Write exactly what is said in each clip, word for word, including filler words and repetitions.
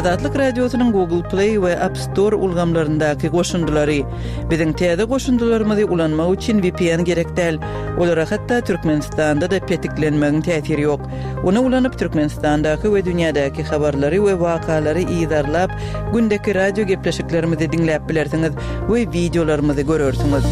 Azatlyk Radiosynyň Google Play we App Store ulgamlaryndaky goşundylary. Biziň täze goşundylarymyzy ulanmak üçin V P N gerek däl. Olara hatda Türkmenistanda-da petiklenmegiň täsiri ýok. Ony ulanyp Türkmenistandaky we dünýädäki habarlary we wakalary yzarlap, gündeki radio gepleşiklerimizi diňläp bilersiňiz we wideolarymyzy görersiňiz.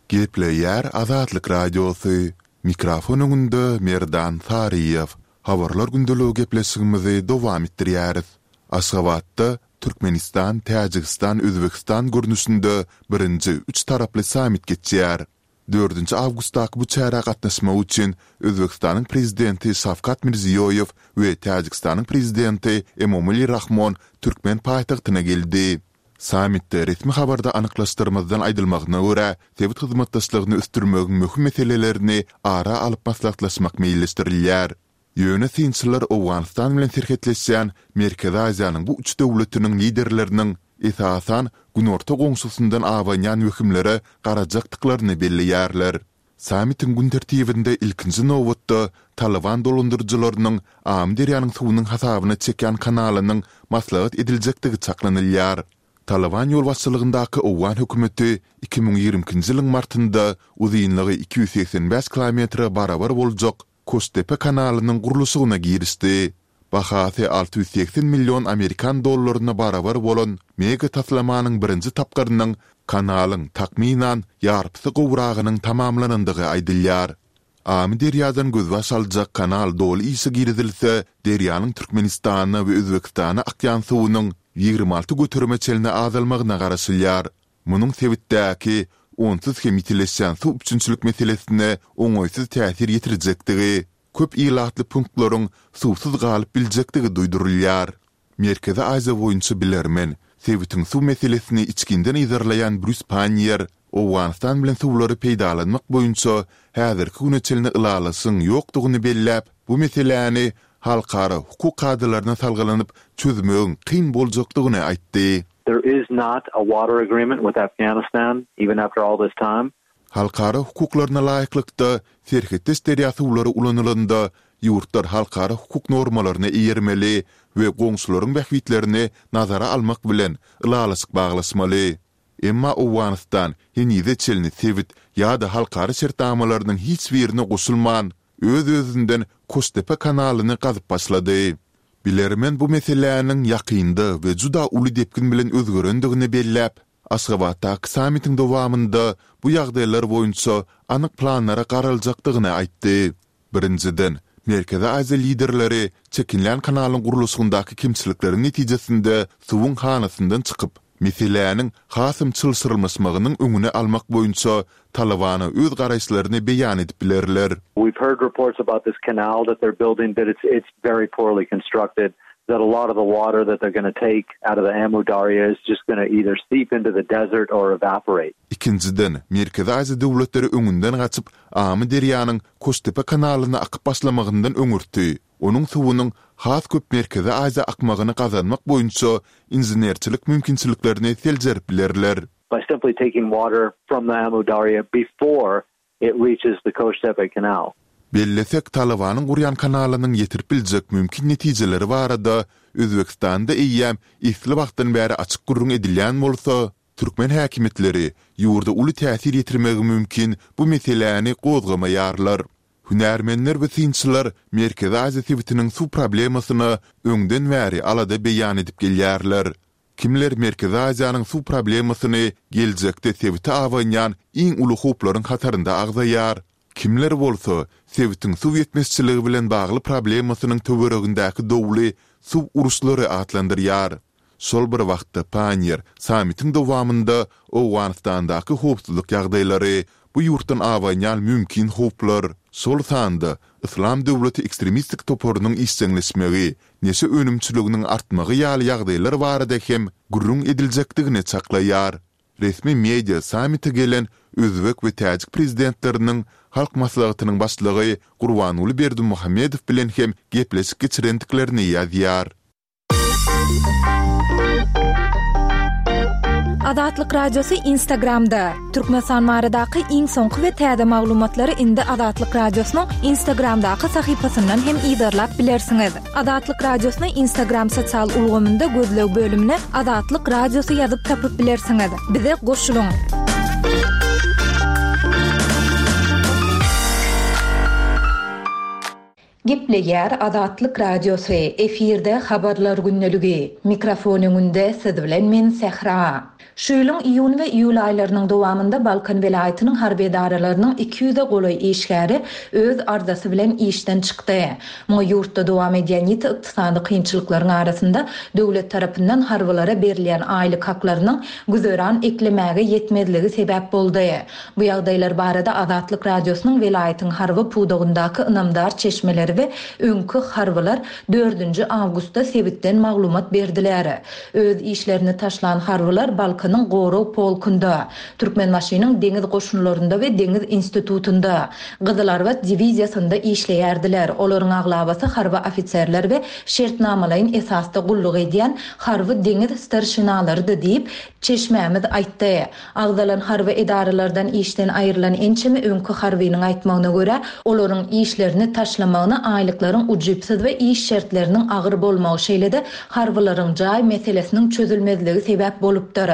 Gepleýär Azatlyk Radiosy. Mikrofon öňünde Merdan Saryýew. Habarlar gündeligi gepleşigimizi dowam etdirýäris. Aşgabatda Türkmenistan, Täjigistan, Özbegistan görnüşinde birinji üç taraply sammit geçýär. Dördünji awgustdaky bu çärä gatnaşmak üçin Özbegistanyň prezidenti Şawkat Mirziýoýew we Täjigistanyň prezidenti Emomali Rahmon türkmen paýtagtyna geldi. Sammitde resmi habarda anyklaşdyrmazdan aýdylmagyna görä, sebit hyzmatdaşlygyny ösdürmegiň möhüm meselelerini ara alyp maslahatlaşmak meýilleşdirilýär. Ýöne synçylar Owganystan bilen serhetleşýän Merkezi Aziýanyň bu üç döwletiniň liderleriniň esasan günorta goňşusyndan abanýan wehimlere garajakdyklaryny belleýärler. Sammitiň gün tertibinde ilkinji nobatda Talyban dolandyryjylarynyň Amyderýanyň suwunyň hasabyna çekýän kanalynyň maslahat ediljekdigi çaklanylýar. Talyban ýolbaşçylygyndaky owgan hökümeti iki müň ýigrimi ikinji ýylyň martynda uzynlygy iki ýüz segsen bäş kilometre barabar boljak Koştepe kanalynyň gurluşygyna girişdi. Bahasy alty ýüz segsen million amerikan dollaryna barabar bolan mega taslamanyň birinji tapgyrynyň kanalyň takmynan ýarpysy gowragynyň tamamlanandygy aýdylýar. Amyderýadan gözbaş aljak kanal doly işe girizilse, derýanyň Türkmenistana we Özbegistana akýan suwunyň ýigrimi alty göterime çenli azalmagyna garaşylýar. Munuň sebitdäki onsuz hem ýitileşýän suw üpjünçilik meselesine oňaýsyz täsir ýetirjekdigi, köp ilatly punktlaryň suwsuz galyp biljekdigi duýdurylýar. Merkezi Aziýa boýunça bilermen, sebitiň suw meselesini içginden yzarlaýan Brýus Panniýer Owganystan bilen suwlary peýdalanmak boýunça häzirki güne çenli ylalaşygyň ýokdugyny belläp, bu meseläni halkara hukuk kadalaryna salgylanyp çözmegiň kyn boljakdygyny aýtdy. There is not a water agreement with Afghanistan, even after all this time. Halkara hukuklaryna laýyklykda, serhetdeş derýa suwlary ulanylanda, ýurtlar halkara hukuk normalaryna eýermeli we goňşularyň bähbitlerini nazara almak bilen ylalaşyk baglaşmaly. Emma Owganystan henize çenli sebit ýa-da halkara şertnamalarynyň hiç birine goşulman, öz-özünden Koştepe kanalyny gazyp başlady. Bilermen bu meseläniň ýakynda we juda uly depgin bilen özgerendigini belläp, Aşgabatdaky sammitiň dowamynda bu ýagdaýlar boýunça anyk planlara garaljakdygyny aýtdy. Birinjiden, Merkezi Aziýa liderleri çekinlän kanalyň gurluşygyndaky kemçilikleriň netijesinde suwuň hanasyndan çykyp, meseläniň hasam çylşyrymlaşmagynyň öňüni almak boýunça Talybana öz garaýyşlaryny beýan edip bilerler. We've heard reports about this canal that they're building, that it's, it's very poorly constructed, that a lot of the water that they're gonna take out of the Amu Darya is just gonna either seep into the desert or evaporate. Ikinjiden, Merkezi Aziýa döwletleri öňünden gaçyp, Amyderýanyň Koştepe kanalyna akyp başlamagyndan öňürti, onuň suwunyň has köp Merkezi Aziýa akmagyny gazanmak boýunça inženerçilik mümkinçiliklerini seljerip bilerler. By simply taking water from the Amu Darya before it reaches the Koştepe Canal. Bellesek, Talybanyň gurýan kanalynyň ýetirip biljek mümkin netijeleri barada Özbegistanda eýýäm esli wagtdan bäri açyk gürrüň edilýän bolsa, türkmen häkimiýetleri ýurda uly täsir ýetirmegi mümkin bu meseläni gozgamaýarlar. Hünärmenler we synçylar Merkezi Aziýa sebitiniň suw problemasyna öňden bäri alada beýan edip gelýärler. Kimler Merkezi Aziýanyň suw problemasyny geljekde sebite abanýan iň uly howplaryň hatarynda agzaýar, kimler bolsa sebitiň suw ýetmezçiligi bilen bagly problemasynyň töweregindäki dowly suw uruşlary atlandyrýar. Şol bir wagtda Panniýer sammitiň dowamynda Owganystandaky howpsuzlyk ýagdaýlary, bu ýurtdan abanýan mümkin howplar, şol sanda Yslam döwleti ekstremistik toparynyň işjeňleşmegi, neşe önümçiliginiň artmagy ýaly ýagdaýlar barada hem gürrüň ediljekdigini çaklaýar. Resmi media sammite gelen özbek we täjik prezidentleriniň Halk Maslahatynyň başlygy Gurbanguly Berdimuhamedow bilen hem gepleşik geçirendiklerini ýazýar. Azatlyk Radiosy Instagramda. Türkmenistan baradaky iň soňky we täze maglumatlary indi Azatlyk Radiosynyň Instagramdaky sahypasyndan hem yzarlap bilersiňiz. Azatlyk Radiosyny Instagram sosial ulgamynda gözleg bölümine Azatlyk Radiosy ýazyp tapyp bilersiňiz. Bize goşulyň. Gepleýär Azatlyk Radiosy, efirde habarlar gündeligi. Mikrofon öňünde siz bilen men Sähra. Şu ýylyň iýun we iýul aýlarynyň dowamynda Balkan welaýatynyň harby edaralarynyň iki ýüze golaý işgäri öz arzasy bilen işden çykdy. Muňa ýurtda dowam edýän ýiti ykdysady kynçylyklaryň arasynda döwlet tarapyndan harbylara berilýän aýlyk haklarynyň güzeran eklemäge ýetmezligi sebäp boldy. Bu ýagdaýlar barada Azatlyk Radiosynyň welaýatyň harby pudagyndaky ynamdar çeşmeleri we öňki harbylar dördünji awgustda sebitden maglumat berdiler. Öz işlerini taşlan harbylar Balkanyň Gorag polkunda, Türkmenbaşynyň deňiz goşunlarynda we deňiz institutynda, Gyzylarbat diwiziýasynda işleýärdiler. Olaryň aglabasy harby ofiserler we şertnamalaýyn esasda gulluk edýän harby deňiz starşinalarydy diýip, çeşmämiz aýtdy. Agzalan harby edaralardan işden aýrylan ençeme öňki harbynyň aýtmagyna görä, olaryň işlerini taşlamagyna aýlyklaryň ujypsyz we iş şertleriniň agyr bolmagy, şeýle-de harbylaryň jaý meselesiniň çözülmezligi sebäp bolupdyr.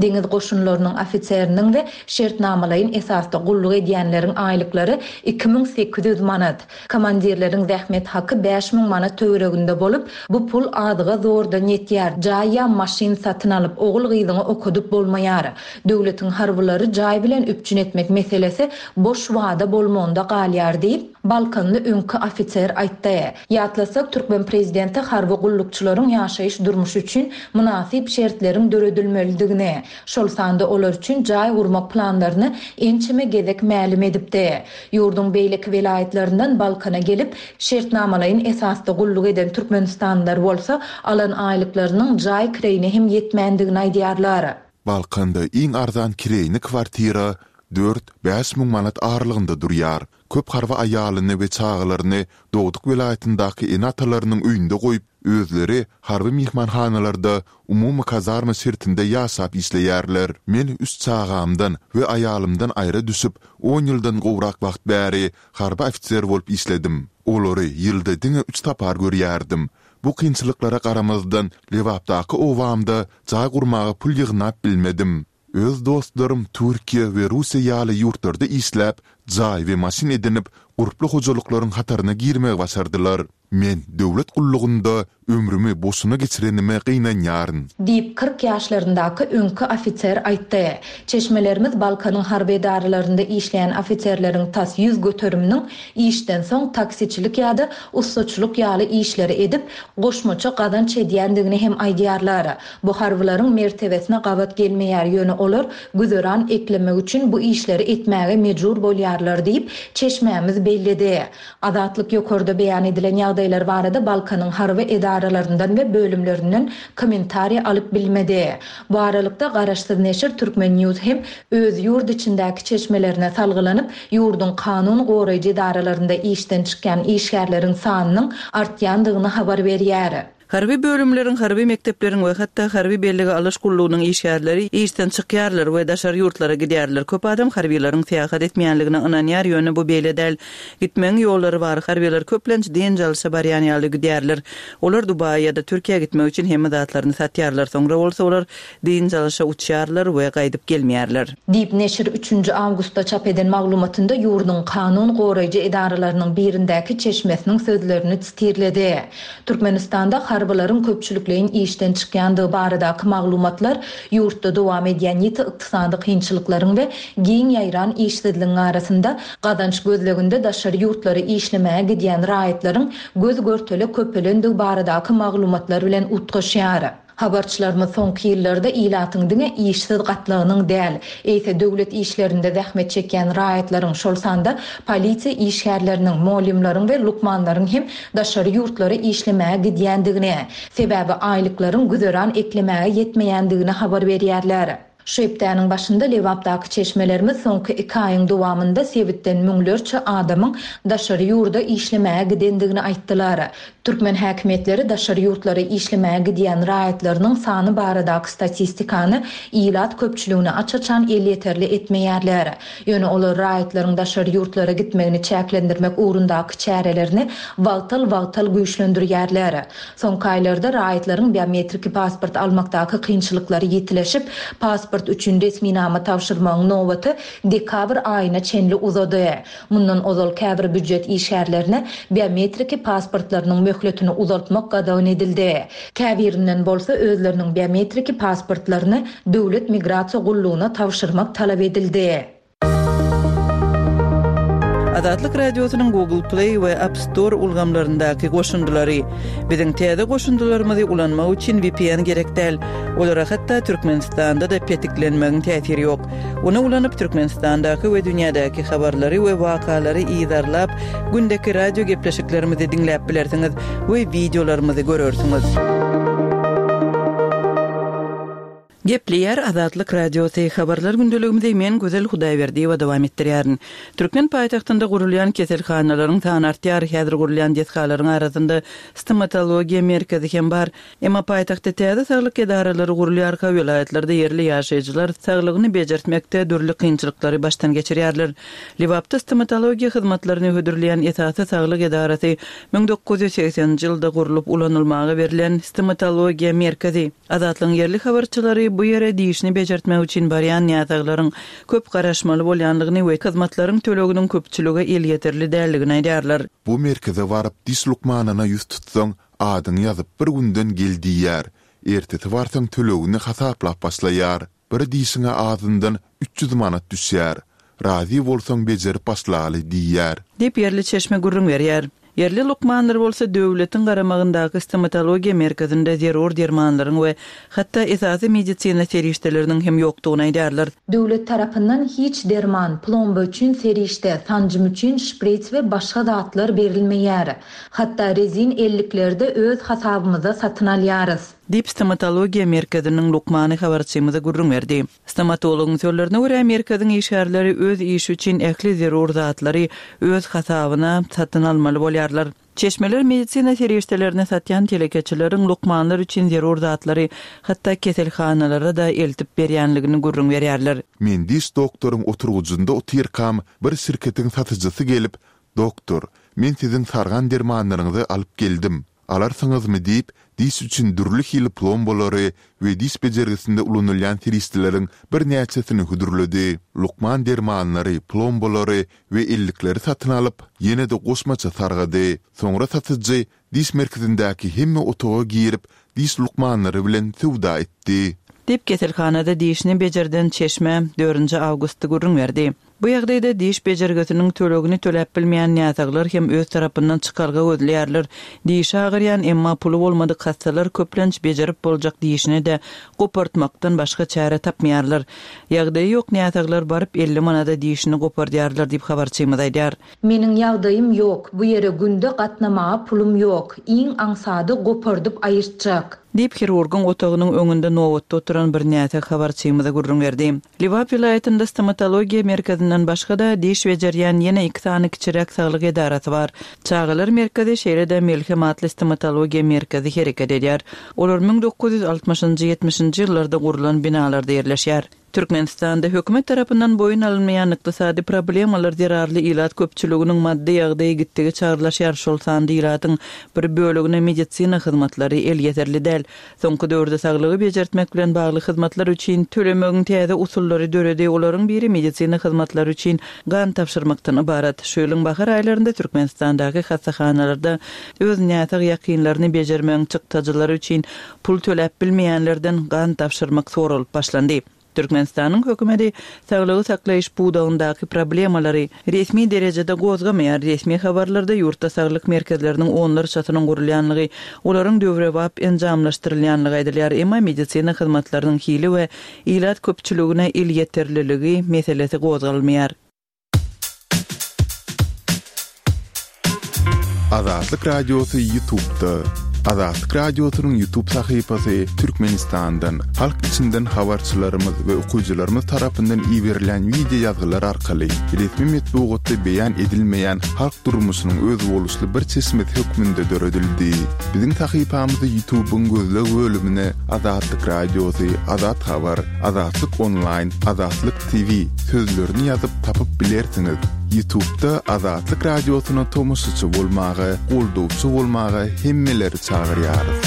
Deňiz goşunlarynyň ofiseriniň we şertnamalaýyn esasda gulluk edýänleriň aýlyklary iki müň sekiz ýüz manat, komandirleriň zähmet haky bäş müň manat töwereginde bolup, bu pul azyga zordan ýetýär. Jaý ýa maşyn satyn alyp, ogul-gyzyňy okadyp bolmaýar. Döwletiň harbylary jaý bilen üpjün etmek meselesi boş wada bolmagynda galýar diýip, Balkanly öňki ofiser aýtdy. Ýatlasak, türkmen prezidenti harby gullukçylaryň ýaşaýyş durmuşy üçin mynasyp şertleriň döredilmelidigini, şol sanda olar üçin jaý gurmak planlaryny ençeme gezek mälim edipdi. Ýurduň beýleki welaýatlaryndan Balkana gelip, şertnamalaýyn esasda gulluk eden türkmenistanlylar bolsa, alan aýlyklarynyň jaý kireýine hem ýetmändigini aýdýarlar. Balkanda iň arzan kireýini kwartira dört-bäş müň manat aralygynda durýar. Köp harby aýalyny we çagalaryny dogduk welaýatyndaky ene-atalarynyň öýünde goýup, özleri harby myhmanhanalarda umumy kazarma şertinde ýaşap işleýärler. Men üç çagamdan we aýalymdan aýra düşüp, on ýyldan gowrak wagt bäri harby ofiser bolup işledim. Olary ýylda diňe üç sapar görýärdim. Bu kynçylyklara garamazdan Lebapdaky obamda jaý gurmaga pul ýygnap bilmedim. Öz dostlarym Türkiýe we Russiýa ýaly ýurtlarda işläp, jaý we maşyn edinip, gurply hojalyklaryň hataryna girmegi başardylar. Men döwlet gullugynda ömrümi boşuna geçirenime gynanýaryn. Diýip, kyrk ýaşlaryndaky öňki ofiser aýtdy. Çeşmelerimiz Balkanyň harby edaralarynda işleýän ofiserleriň tas ýüz göteriminiň işden soň taksiçilik ýa-da ussaçylyk ýaly işleri edip, goşmaça gazanç edýändigini hem aýdýarlar. Bu harbylaryň mertebesine gabat gelmeýär, ýöne olar güzeran eklemek üçin bu işleri etmäge mejbur bolýarlar diýip, çeşmämiz belledi. Azatlyk ýokarda beýan edilen ýagdaýlar barada Balkanyň harby edaralaryndan we bölümlerinden kommentariýa alyp bilmedi. Bu aralykda garaşsyz neşir Türkmen News hem öz ýurt içindäki çeşmelerine salgylanyp, ýurduň kanun goraýjy edaralarynda işden çykýan işgärleriň sanynyň artýandygyny habar berýär. Harby bölümleriň, harby mekdepleriň we hatda harby bellige alyş gullugynyň işgärleri işden çykýarlar we daşary ýurtlara gidýärler. Köp adam harbylaryň syýahat etmeýänligine ynanýar, ýöne bu beýle däl. Gitmegiň ýollary bar. Harbylar köplenç dynç alyşa barýan ýaly gidýärler. Olar Dubaýa ýa-da Türkiýä gitmek üçin hemme zatlaryny satýarlar. Soňra bolsa olar dynç alyşa uçýarlar we gaýdyp gelmeýärler. Diýip, neşir üçünji awgustda çap eden maglumatynda ýurduň kanun goraýjy edaralarynyň birindäki çeşmesiniň sözlerini titirledi. Türkmenistanda harbylaryň köpçülikleýin işden çykýandygy baradaky maglumatlar ýurtda dowam edýän ýiti ykdysady kynçylyklaryň we giň ýaýran işsizligiň arasynda gazanç gözleginde daşary ýurtlary işlemäge gidýän raýatlaryň göz görtele köpelendigi baradaky maglumatlar bilen utgaşýar. Habarçylarymyz soňky ýyllarda ilatyň diňe işsiz gatlagynyň däl, eýse döwlet işlerinde zähmet çekýän raýatlaryň, şol sanda polisiýa işgärleriniň, muallimleriň we lukmanlaryň hem daşary ýurtlara işlemäge gidýändigini, sebäbi aýlyklaryň güzeran eklemäge ýetmeýändigini habar berýärler. Şu hepdäniň başynda Lebapdaky çeşmelerimiz soňky iki aýyň dowamynda sebitden müňlerçe adamyň daşary ýurda işlemäge gidendigini aýtdylar. Türkmen häkimiýetleri daşary ýurtlara işlemäge gidýän raýatlarynyň sany baradaky statistikany ilat köpçüligine aç-açan elýeterli etmeýärler. Ýöne olar raýatlaryň daşary ýurtlara gitmegini çäklendirmek ugrundaky çärelerini wagtal-wagtal güýçlendirýärler. Soňky aýlarda raýatlaryň biometriki pasport almakdaky kynçylyklary ýitileşip, pasport üçin resminama tabşyrmagyň nobaty dekabr aýyna çenli uzady. Mundan ozal käbir býujet işgärlerine biometriki pasportlarynyň möhletini uzaltmak gadagan edildi. Käbirinden bolsa özleriniň biometriki pasportlaryny Döwlet migrasiýa gullugyna tabşyrmak talap edildi. Azatlyk Radiosynyň Google Play we App Store ulgamlaryndaky goşundylary. Biziň täze goşundylarymyzy ulanmak üçin V P N gerek däl. Olara hatda Türkmenistanda-da petiklenmegiň täsiri ýok. Ony ulanyp Türkmenistandaky we dünýädäki habarlary we wakalary yzarlap, gündeki radio gepleşiklerimizi diňläp bilersiňiz we wideolarymyzy görersiňiz. Gepleýär Azatlyk Radiosy, habarlar gündeligimizi men Gözel Hudaýberdiýewa dowam etdirýärin. Türkmen paýtagtynda gurulýan keselhanalaryň sany artýar. Häzir gurulýan desgalaryň arasynda stomatologiýa merkezi hem bar. Emma paýtagtda täze saglyk edaralary gurulýarka, welaýatlarda ýerli ýaşaýjylar saglygyny bejertmekde dürli kynçylyklary başdan geçirýärler. Lebapda stomatologiýa hyzmatlaryny hödürleýän esasy saglyk edarasy müň dokuz ýüz segseninji ýylda gurlup ulanylmaga berlen stomatologiýa merkezi. Azatlygyň ýerli habarçylary bu ýere dişini bejertmek üçin barýan näsaglaryň köp garaşmaly bolýanlygyny we hyzmatlaryň töleginiň köpçülige elýeterli däldigini aýdýarlar. Bu merkeze baryp diş lukmanyna ýüz tutsaň, adyňy ýazyp bir günden gel diýýär. Ertesi barsaň tölegini hasaplap başlaýar. Bir dişiňe azyndan üç ýüz manat düşýär. Razy bolsaň bejerip başlaly diýýär. Diýip ýerli çeşme gürrüň berýär. Ýerli lukmanlar bolsa döwletiň garamagyndaky stomatologiýa merkezinde zerur dermanlaryň we hatda esasy medisina serişdeleriniň hem ýokdugyny aýdýarlar. Döwlet tarapyndan hiç derman, plomba üçin serişde, sanjym üçin şprits we başga zatlar berilmeýär. Hatda rezin ellikleri-de öz hasabymyza satyn alýarys. Diýip stomatologiýa merkeziniň lukmany habarçymyza gürrüň berdi. Stomatologyň sözlerine görä merkeziň işgärleri öz işi üçin ähli zerur zatlary öz hasabyna satyn almaly bolýarlar. Çeşmeler medisina serişdelerini satýan telekeçileriň lukmanlar üçin zerur zatlary hatda keselhanalara da eltip berýänligini gürrüň berýärler. Men diş doktoryň oturgyjynda otyrkam bir şirketiň satyjysy gelip, "Doktor, men siziň sargan dermanlaryňyzy alyp geldim. Alarsyňyzmy?" diýip, diş üçin dürli hili plombalary we diş bejergisinde ulanylýan serişdeleriň birnäçesini hödürledi. Lukman dermanlary, plombalary we ellikleri satyn alyp, ýene-de goşmaça sargady. Soňra satyjy diş merkezindäki hemme otaga girip, diş lukmanlary bilen söwda etdi. Diýip keselhanada dişini bejerden çeşme dördünji awgustda gürrüň berdi. Bu ýagdaýda diş bejergisiniň tölegini töläp bilmeýän näsaglar hem öz tarapyndan çykalga gözleýärler. Dişi agyrýan emma puly bolmadyk hassalar köplenç bejerip boljak dişini de gopartmakdan başga çäre tapmaýarlar. Ýagdaýy ýok näsaglar baryp elli manada dişini gopardýarlar diýip habarçymyz aýdýar. Meniň ýagdaýym ýok, bu ýere günde gatnamaga pulum ýok, iň aňsady gopardyp aýyrtjak. Diýip hirurgyň otagynyň öňünde nobatda oturan bir näsag habarçymyza gürrüň berdi. Lebap welaýatynda stomatologiýa merkezinden başga-da diş bejerýän ýene iki sany kiçiräk saglyk edarasy bar. Çagalar merkezi şeýle-de Melhem atly stomatologiýa merkezi hereket edýär. Olar müň dokuz ýüz altmyşynjy ýetmişinji ýyllarda gurulan binalarda ýerleşýär. Türkmenistanda hökümet tarapyndan boýun alynmaýan ykdysady problemalar zerarly ilat köpçüliginiň maddy ýagdaýy gitdigiçe agyrlaşýar. Şol sanda ilatyň bir bölegine medisina hyzmatlary elýeterli däl. Soňky döwürde saglygy bejertmek bilen bagly hyzmatlar üçin tölemegiň täze usullary döredi. Olaryň biri medisina hyzmatlary üçin gan tabşyrmakdan ybarat. Şu ýylyň bahar aýlarynda Türkmenistandaky hassahanalarda öz näsag ýakynlaryny bejermegiň çykdajylary üçin pul töläp bilmeýänlerden gan tabşyrmak soralyp başlandy. Türkmenistanyň hökümeti saglygy saklaýyş pudagyndaky problemalary resmi derejede gozgamaýar. Resmi habarlarda ýurtda saglyk merkezleriniň onlarçasynyň gurulýanlygy, olaryň döwrebap enjamlaşdyrylýanlygy aýdylýar. Emma medisina hyzmatlarynyň hili we ilat köpçüligine elýeterliligi meselesi gozgalmaýar. Azatlyk Radiosy YouTube-da. Azatlyk Radiosynyň YouTube sahypasy Türkmenistandan halk içinde içinden habarçylarymyz we okyjylarymyz tarapyndan iberilen wideo ýazgylar arkaly resmi metbugatda beýan edilmeýän halk durmuşynyň özboluşly bir çeşmesi hökmünde döredildi. Biziň sahypamyzy YouTube'yň gözleg bölümine Azatlyk Radiosy, Azat Habar, Azatlyk Online, Azatlyk T V sözlerini ýazyp tapyp bilersiňiz. YouTube'da Azatlyk Radiosyna tomaşaçy bolmaga, goldawçy bolmaga hemmeleri çagyrýarys.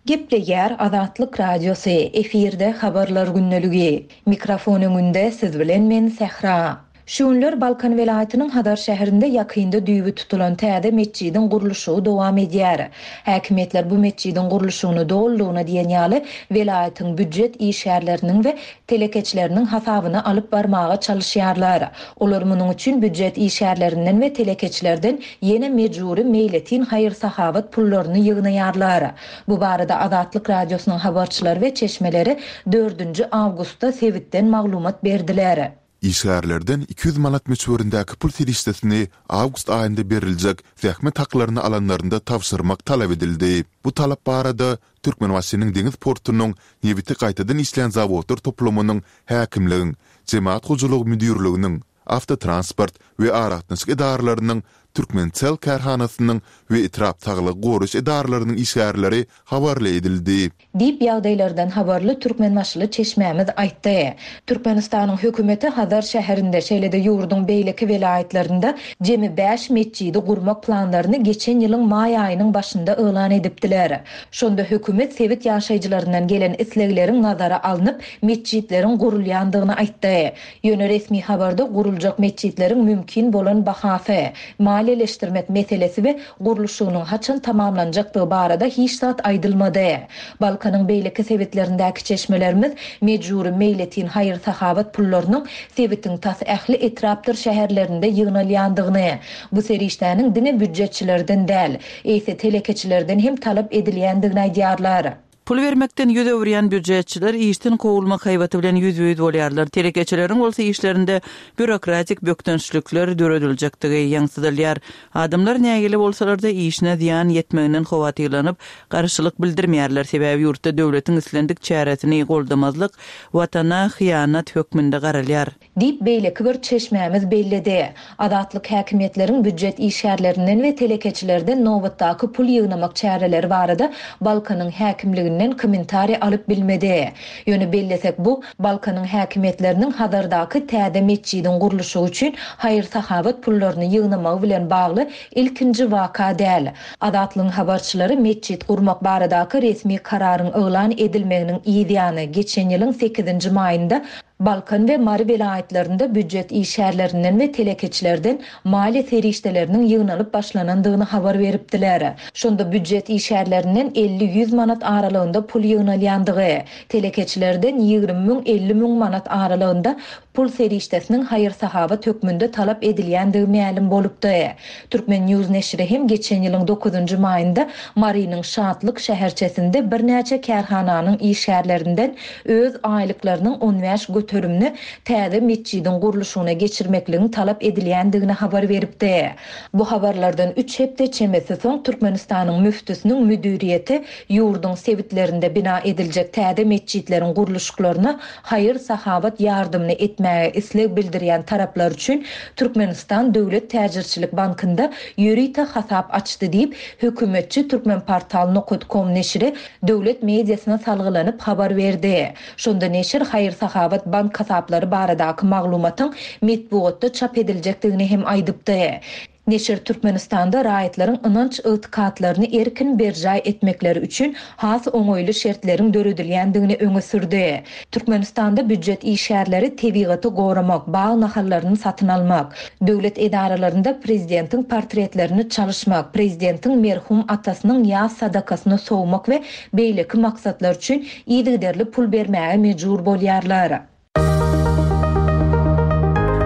Gepleýär Azatlyk Radiosy, efirde habarlar gündeligi. Mikrofon öňünde siz bilen men Sähra. Şu günler Balkan welaýatynyň Hazar şäherinde ýakynda düýbi tutulan täze metjidiň gurluşygy dowam edýär. Häkimiýetler bu metjidiň gurluşygyny dolulygyna diýen ýaly welaýatyň býujet işgärleriniň we telekeçileriniň hasabyna alyp barmaga çalyşýarlar. Olar munuň üçin býujet işgärlerinden we telekeçilerden ýene mejbury meýletin haýyr-sahawat pullaryny ýygnaýarlar. Bu barada Azatlyk Radiosynyň habarçylary we çeşmeleri dördünji awgustda sebitden maglumat berdiler. Işgärlerden iki ýüz manat möçberindäki pul serişdesini awgust aýynda beriljek zähmet haklaryny alanlarynda tabşyrmak talap edildi. Bu talap barada Türkmenbaşynyň deňiz portunyň nebiti gaýtadan işleýän zawodlar toplumynyň häkimligiň, jemagat hojalygy müdirliginiň, awtotransport we aragatnaşyk edaralarynyň, Türkmencell kärhanasynyň we etrap saglygy goraýyş edaralarynyň işgärleri habarly edildi. Diýip ýagdaýlardan habarly türkmenbaşyly çeşmämiz aýtdy. Türkmenistanyň hökümeti Hazar şäherinde, şeýle-de ýurduň beýleki welaýatlarynda jemi bäş metjidi gurmak planlaryny geçen ýylyň maý aýynyň başynda yglan edipdiler. Şonda hökümet sebit ýaşaýjylaryndan gelen islegleriň nazara alnyp, metjitleriň gurulýandygyny aýtdy. Ýöne resmi habarda guruljak metjitleriň mümkin bolan bahasy, maliýeleşdirmek meselesi we gurluşygynyň haçan tamamlanjakdygy barada hiç zat aýdylmady. Balkanyň beýleki sebitlerindäki çeşmelerimiz mejbury meýletin haýyr-sahawat pullarynyň sebitiň tas ähli etrapdyr şäherlerinde ýygnalýandygyny, bu serişdäniň diňe býujetçilerden däl, eýse telekeçilerden hem talap edilýändigini aýdýarlar. Pul bermekden ýüz öwürýän býujetçiler işden kowulmak haýbaty bilen ýüzbe-ýüz bolýarlar. Telekeçileriň bolsa işlerinde býurokratik bökdençlikler dörediljekdigi ýaňsydylýar. Adamlar nägile bolsalar-da işine zyýan ýetmeginden howatyrlanyp, garşylyk bildirmeýärler. Sebäbi ýurtda döwletiň islendik çäresini goldamazlyk watana hyýanat hökmünde garalýar. Diýip beýleki bir çeşmämiz belledi. Azatlyk häkimiýetleriň býujet işgärlerinden we telekeçilerden nobatdaky pul ýygnamak çäreleri barada Balkanyň häkimliginden kommentariý alyp bilmedi. Ýöne bellesek bu Balkanyň häkimiýetleriniň Hazardaky täze metjidiň gurluşygy üçin haýyr-sahawat pullaryny ýygnamagy bilen bagly ilkinji waka däl. Azatlygyň habarçylary metjit gurmak baradaky resmi kararyň yglan edilmeginiň ýany geçen ýylyň sekizinji maýynda Balkan we Mary welaýatlarynda býujet işgärlerinden we telekeçilerden maliýe serişdeleriniň ýygnalyp başlanandygyny habar beripdiler. Şonda býujet işgärlerinden elli-ýüz manat aralygynda pul ýygnalýandygy, telekeçilerden ýigrimi müň elli müň manat aralygynda pul serişdesiniň haýyr-sahawat hökmünde talap edilýändigi mälim bolupdy. Türkmen News neşiri hem geçen ýylyň dokuzynjy maýynda Marynyň Şatlyk şäherçesinde birnäçe kärhananyň işgärlerinden öz aýlyklarynyň on bäş göterimini täze metjidiň gurluşygyna geçirmekligiň talap edilýändigini habar beripdi. Bu habarlardan üç hepde çemesi soň Türkmenistanyň müftüsiniň müdiriýeti ýurduň sebitlerinde bina ediljek täze metjitleriň gurluşyklaryna haýyr-sahawat ýardymyny etmäge isleg bildirýän taraplar üçin Türkmenistan Döwlet Täjirçilik Bankynda ýörite hasap açdy diýip, hökümetçi Türkmenportal nokta com neşiri döwlet mediasyna salgylanyp habar berdi. Şonda neşir haýyr-sahawat bank hasaplary baradaky maglumatyň metbugatda çap ediljekdigini hem aýdypdy. Neşir Türkmenistanda raýatlaryň ynanç ygtykatlaryny erkin berjaý etmekleri üçin has oňaýly şertleriň döredilýändigini öňe sürdi. Türkmenistanda býujet işgärleri tebigaty goramak, bag nahallaryny satyn almak, döwlet edaralarynda prezidentiň portretlerini çalyşmak, prezidentiň merhum atasynyň ýaz sadakasyny sowmak we beýleki maksatlar üçin yzygiderli pul bermäge mejbur bolýarlar.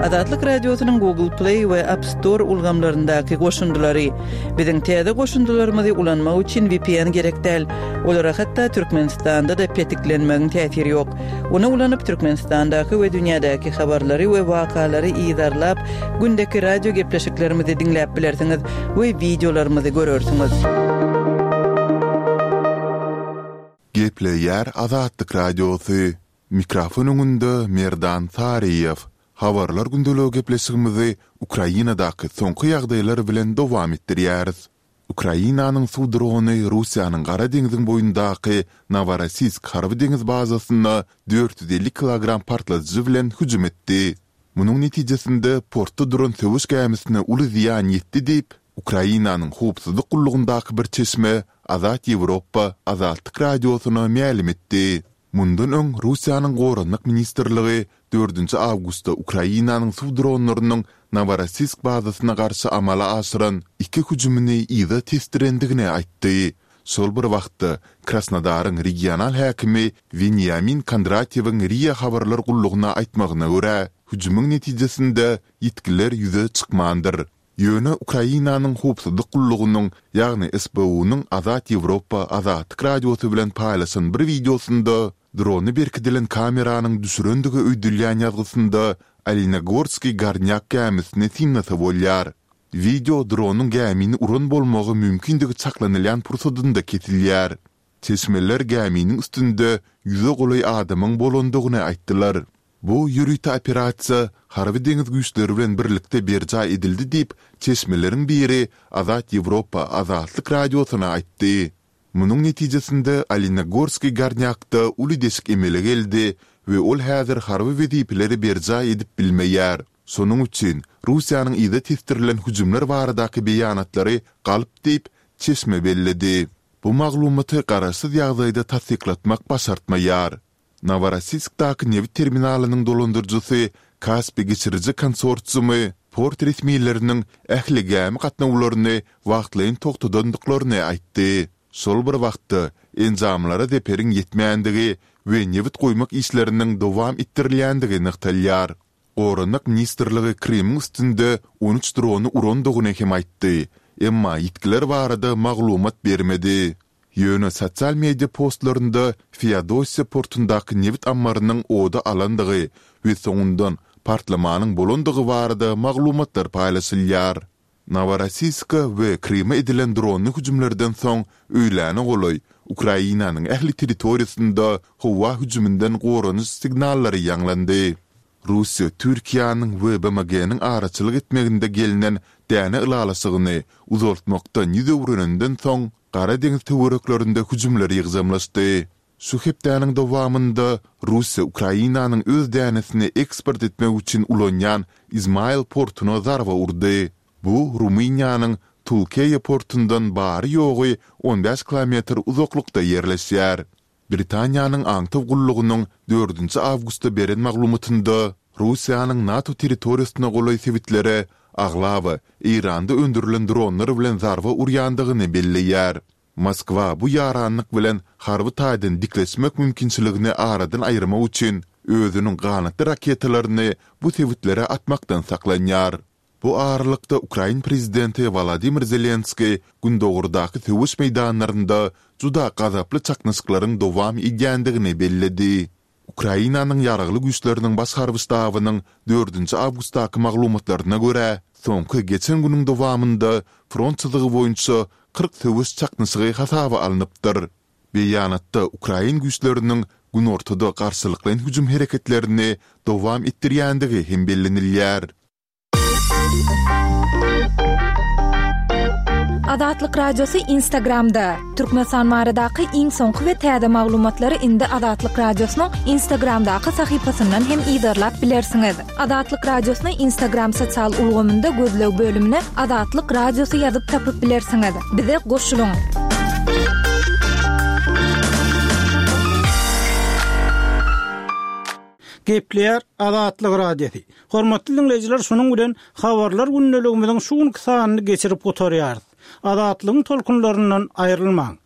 Azatlyk Radiosynyň Google Play we App Store ulgamlaryndaky goşundylary. Biziň täze goşundylarymyzy ulanmak üçin V P N gerek däl. Olara hatda Türkmenistanda da petiklenmegiň täsiri ýok. Ony ulanyp Türkmenistandaky we dünýädäki habarlary we wakalary yzarlap, gündeki radio gepleşiklerimizi diňläp bilersiňiz we wideolarymyzy görersiňiz. Gepleýär Azatlyk Radiosy. Mikrofon öňünde Merdan Saryýew. Habarlar gündeligi gepleşigimizi Ukrainadaky soňky ýagdaýlar bilen dowam etdirýäris. Ukrainanyň suw drony Russiýanyň Gara deňziň boýundaky Noworossiýsk harby-deňiz bazasyna dört ýüz elli kilogram partladyjy bilen hüjüm etdi. Munuň netijesinde portda duran söweş gämisine uly zyýan ýetdi diýip, Ukrainanyň howpsuzlyk gullugyndaky bir çeşme Azat Ýewropa Azatlyk Radiosyna mälim etdi. Mundan öň Russiýanyň Goranmak ministrligi dördünji awgustda Ukrainanyň suw dronlarynyň Noworossiýsk bazasyna garşy amala aşyran iki hüjümini yza tesdirendigini aýtdy. Şol bir wagtda, Krasnodaryň regional häkimi Weniamin Kondratýewiň RIA habarlar gullugyna aýtmagyna görä, hüjümiň netijesinde ýitgiler ýüze çykmandyr. Ýöne Ukrainanyň howpsuzlyk gullugynyň, ýagny SBU-nyň Azat Ýewropa Azatlyk Radiosy bilen paýlaşan bir wideosynda drona berkidilen kameranyň düşürendigi öýdülýän ýazgysynda Olenegorskiý Gornýak gämisini synlasa bolýar. Wideo dronyň gämini uran bolmagy mümkindigi çaklanylýan pursadynda kesilýär. Çeşmeler gäminiň üstünde ýüze golaý adamyň bolandygyny aýtdylar. Bu ýörite operasiýa Harby-deňiz güýçleri bilen birlikde berjaý edildi diýip, çeşmeleriň biri Azat Ýewropa Azatlyk Radiosyna aýtdy. Munuň netijesinde Olenegorskiý Gornýakda uly deşik emele geldi we ol häzir harby wezipeleri berjaý edip bilmeýär. Şonuň üçin Russiýanyň yza tesdirilen hüjümler baradaky beýanatlary galp diýip, çeşme belledi. Bu maglumaty garaşsyz ýagdaýda tassyklatmak başartmaýar. Noworossiýskdaky nebit terminalynyň dolandyryjysy Kaspi geçiriji konsorsiumy port resmileriniň ähli gämi gatnawlaryny wagtlaýyn togtadandyklaryny aýtdy. Şol bir wagtda, enjamlara zeperiň ýetmändigi we nebit guýmak işleriniň dowam etdirilýändigi nygtalýar. Goranmak ministrligi Krymyň üstünde on üç drony urandygyny hem aýtdy, emma ýitgiler barada maglumat bermedi. Ýöne sosial media postlarynda Feodosiýa portundaky nebit ammarynyň oda alandygy we soňundan partlamanyň bolandygy barada maglumatlar paýlaşylýar. Noworossiýska we Kryma edilen dronly hüjümlerden soň öýläne golaý Ukrainanyň ähli territoriýasynda howa hüjüminden goranyş signallary ýaňlandy. Russiýa Türkiýäniň we BMG-niň araçylyk etmeginde gelnen däne ylalaşygyny uzaltmakdan ýüz öwrenenden soň, Gara deňiz töwereklerinde hüjümler ýygjamlaşdy. Şu hepdäniň dowamynda Russiýa Ukrainanyň öz dänesini eksport etmek üçin ulanýan Izmail portuna zarba urdy. Bu Rumyniýanyň Tulkeýa portundan bary-ýogy on bäş kilometr uzaklykda ýerleşýär. Britaniýanyň aňtaw gullugynyň dördünji awgustda beren maglumatynda Russiýanyň NATO territoriýasyna golaý sebitlere aglaba Eýranda öndürilen dronlar bilen zarba urýandygyny belleýär. Moskwa bu ýaranlyk bilen harby taýdan dikleşmek mümkinçiligini aradan aýyrmak üçin özüniň ganatly raketalaryny bu sebitlere atmakdan saklanýar. Bu aralykda, ukrain prezidenti Wolodymyr Zelenskiý gündogardaky söweş meýdanlarynda juda gazaply çaknyşyklaryň dowam edýändigini belledi. Ukrainanyň Ýaragly Güýçleriniň Baş harby ştabynyň dördünji awgustdaky maglumatlaryna görä, soňky geçen günüň dowamynda front çyzygy boýunça kyrk söweş çaknyşygy hasaba alnypdyr. Beýanatda ukrain güýçleriniň günortada garşylyklaýyn hüjüm hereketlerini dowam etdirýändigi hem bellenilýär. Azatlyk Radiosy Instagramda, Türkmenistan baradaky iň soňky we täze maglumatlary indi Azatlyk Radiosynyň Instagramdaky sahypasyndan hem yzarlap bilersiňiz. Azatlyk Radiosyny Instagram sosial ulgamynda gözleg bölümine Azatlyk Radiosy ýazyp tapyp bilersiňiz. Bize goşulyň! Gepleýär Azatlyk Radiosy. Hormatly diňleýjiler, şunuň bilen Habarlar gündeligimiziň şu günki sanyny geçirip gutarýarys. Azatlygyň tolkunlaryndan aýrylmaň!